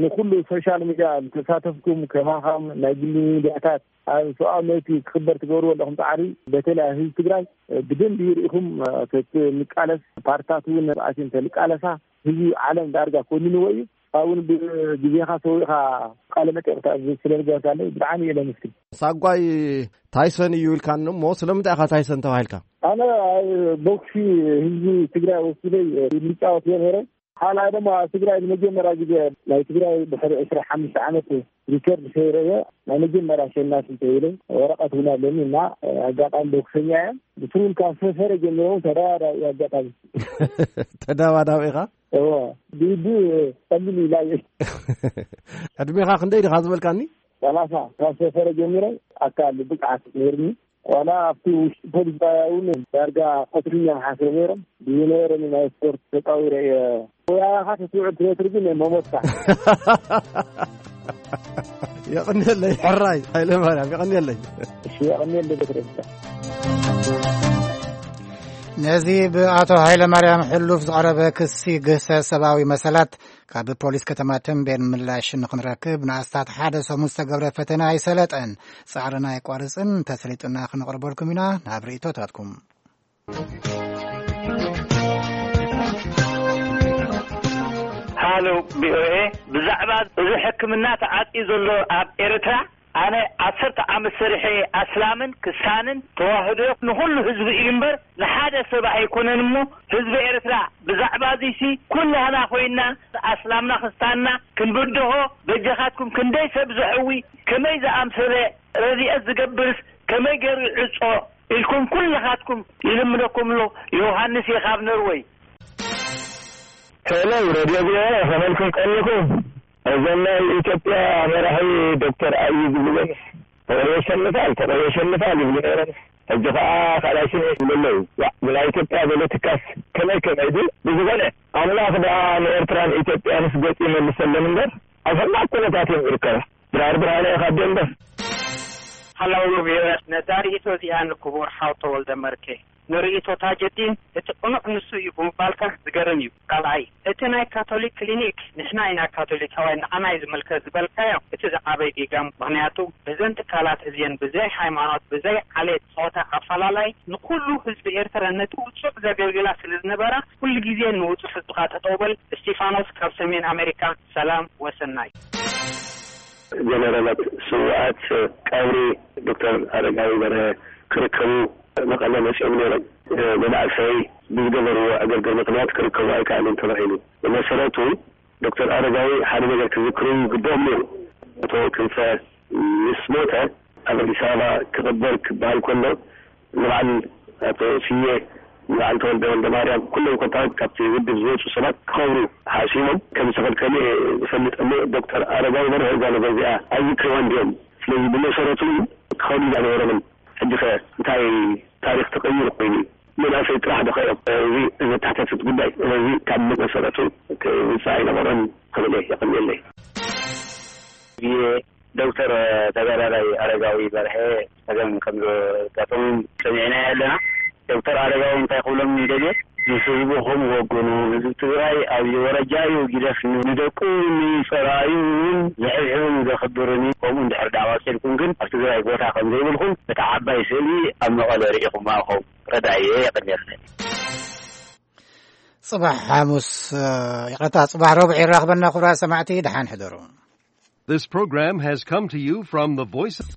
ንኹሉ ሶሻል ሚድያ ዝተሳተፍኩም ከማኻም ናይ ግሊ ሚድያታት ኣብ ሰብኣዊ መብቲ ክኽበር ትገብርዎ ኣለኹም ጻዕሪ፣ በተለይ ኣብ ህዝቢ ትግራይ ብደንቢ ርኢኹም ተንቃለስ፣ ፓርትታት እውን ኣትዮም ተንቃለሳ፣ ህዝቢ ዓለም ዳርጋ ኮኒንዎ እዩ። ካብኡ እውን ብግዜኻ ሰዊእኻ ቃለ መጠይቕ ስለ ዝገበርካለይ ብጣዕሚ እየ ለምስግን። ሳጓይ ታይሰን እዩ ኢልካኒ እሞ ስለምንታይ ኢኻ ታይሰን ተባሂልካ? ኣነ ኣብ ቦክሲ ህዝቢ ትግራይ ወኪለይ ይጫወት እየ ነይረ። ካልኣይ ድማ ኣብ ትግራይ ንመጀመርያ ግዜ ናይ ትግራይ ድሕሪ ዕስራ ሓሙሽተ ዓመት ሪከርድ ሰይረ እየ። ናይ መጀመርያ ኣሸናፊ ተባሂለ ወረቐት እውን ኣለኒ እና ኣጋጣሚ ቦክሰኛ እየ። ብትሩል ካብ ሰፈረ ጀሚረ እውን ተደባዳቢ እየ ኣጋጣሚ። ተደባዳቢ ኢኻ? እዎ፣ ብኢዱ ቀሊል ኢላ እየ። ዕድሜኻ ክንደይ ዲኻ ዝበልካኒ? ሰላሳ። ካብ ሰፈረ ጀሚረ ኣካል ብቕዓት ነይርኒ። ዋላ ኣብቲ ውሽጢ ፖሊስ ጣብያ እውን ዳርጋ ቀትርኛ ሓስረ ነይሮም። ብዝነበረኒ ናይ ስፖርት ተጣዊረ እየ። ወያኻ ተስውዕል ትነትር ግን መሞትካ። የቐንየለይ ሕራይ ሃይለ ማርያም፣ የቐንየለይ። እሺ፣ የቐንየለይ በትረስታ። ነዚ ብኣቶ ሃይለ ማርያም ሕሉፍ ዝቐረበ ክሲ ግህሰት ሰብኣዊ መሰላት ካብ ፖሊስ ከተማ ተምቤን ምላሽ ንኽንረክብ ንኣስታት ሓደ ሰሙን ዝተገብረ ፈተነ ኣይሰለጠን። ጻዕርና ኣይቋርጽን፣ እንተሰሊጡና ክንቕርበልኩም ኢና ናብ ርእይቶታትኩም። ሃሎ ቪኦኤ፣ ብዛዕባ እዚ ሕክምና ተዓጽዩ ዘሎ ኣብ ኤርትራ ኣነ ዓሰርተ ዓመት ሰሪሐ ኣስላምን ክስታንን ተዋህዶ ንኹሉ ህዝቢ እዩ እምበር ንሓደ ሰብ ኣይኮነን እሞ ህዝቢ ኤርትራ ብዛዕባ እዚሲ ኩላህና ኮይንና ኣስላምና ክስታንና ክንብድሆ በጃኻትኩም ክንደይ ሰብ ዘሕዊ ከመይ ዝኣምሰለ ረድኤት ዝገብርስ ከመይ ገይሩ ይዕጾ ኢልኩም ኩልኻትኩም ይልምነኩም ኣሎ ዮሃንስ እየ ካብ ኖርወይ። ሄሎ ሬድዮ ቪኦኤ ከመልኩም ቀኒኹም። እዞም ናይ ኢትዮጵያ መራሒ ዶክተር ኣብይ ዝብልዎም ተቆርዮ ሸንፋል ተቆርዮ ሸንፋል ይብሉ ነይሮም። ሕጂ ከዓ ካልኣይ ሽም ይብሉ ኣለዉ። ዋ ብናይ ኢትዮጵያ ፖለቲካስ ከመይ ከመይ ድዩ? ብዝኾነ ኣምላኽ ደኣ ንኤርትራን ኢትዮጵያንስ ገጹ ይመልሰለን እምበር ኣብ ሕማቕ ኩነታት እዮም ዝርከባ። ድራር ብርሃነ ኢኻ ኣደ እምበር። ሓላው ቪኦኤ፣ ነዛ ርእይቶ እዚኣ ንክቡር ሓው ተወልደ መርኬ፣ ንርእይቶ ታጀዲን እቲ ቅኑዕ ንሱ እዩ ብምባልካ ዝገርም እዩ። ካልኣይ፣ እቲ ናይ ካቶሊክ ክሊኒክ፣ ንሕና ኢና ካቶሊካውያን፣ ንዓና እዩ ዝምልከት ዝበልካዮ፣ እቲ ዝዓበየ ጌጋም። ምኽንያቱ እዘን ትካላት እዚአን ብዘይ ሃይማኖት፣ ብዘይ ዓሌት፣ ጾታ ኣፈላላይ ንኩሉ ህዝቢ ኤርትራ ነቲ ውጹዕ ዘገልግላ ስለ ዝነበራ፣ ኩሉ ግዜ ንውጹዕ ህዝብኻ ጠጠው በል። እስቲፋኖስ ካብ ሰሜን ኣሜሪካ፣ ሰላም ወሰናይ። ጀነራላት ስውኣት ቀብሪ ዶክተር ኣረጋዊ በርሀ ክርከቡ መቐለ መፂኦም ነይሮም። መናእሰይ ብዝገበርዎ ዕግርግር ምኽንያት ክርከቡ ኣይከኣሉን ተባሂሉ። ብመሰረቱ ዶክተር ኣረጋዊ ሓደ ነገር ክዝክሩ ይግብኦም ነይሩ። ኣቶ ክንፈ ምስ ሞተ ኣብ ኣዲስ ኣበባ ክቕበር ክበሃል ከሎ ንበዓል ኣቶ ስየ፣ ንበዓል ተወልደ ወልደ ማርያም፣ ኩሎም ኮታ ካብቲ ውድብ ዝወፁ ሰባት ክኸብሩ ሓሲቦም ከም ዝተኸልከሉ እየ ዝፈልጥ። እሞ ዶክተር ኣረጋዊ በርሀ እዛ ነገር እዚኣ ኣይዝክርዋን ድዮም? ስለዚ ብመሰረቱ ክኸዱ ዝነበሮምን ሕጂ ኸ እንታይ ታሪኽ ተቐይሩ ኮይኑ? መናእሰይ ጥራሕ ዶ ኸ እዮም? እዚ ዘተሓታትት ጉዳይ። ስለዚ ካብ መሰረቱ ክውፃእ ኣይነበሮን ክብል እየ። የቐንየለይ። ዶክተር ተጋዳላይ ኣረጋዊ በርሀ ጸገም ከም ዘጋጠሞም ሰሚዕና ኣለና። ዶክተር ኣረጋዊ እንታይ ክብሎም ይደልየ? ምስ ህዝብኹም ወግኑ። ህዝቢ ትግራይ ኣብ ወረጃ እዩ ግደፍ፣ ንደቁ ንጸላእዩ እውን ዝሕብሕብን ዘኽብርን እዩ። ከምኡ እንድሕር ደኣ ቀጺልኩም ግን ኣብ ትግራይ ቦታ ከም ዘይብልኩም እቲ ዓባይ ስእሊ ኣብ መቐለ ርኢኹም ኢኹም። ረዳእየ። የቐንየለይ። ጽባሕ ሓሙስ፣ ይቕረታ፣ ጽባሕ ረቡዕ የራኽበና። ክቡራት ሰማዕቲ፣ ደሓን ሕደሩ። This program has come to you from the Voice of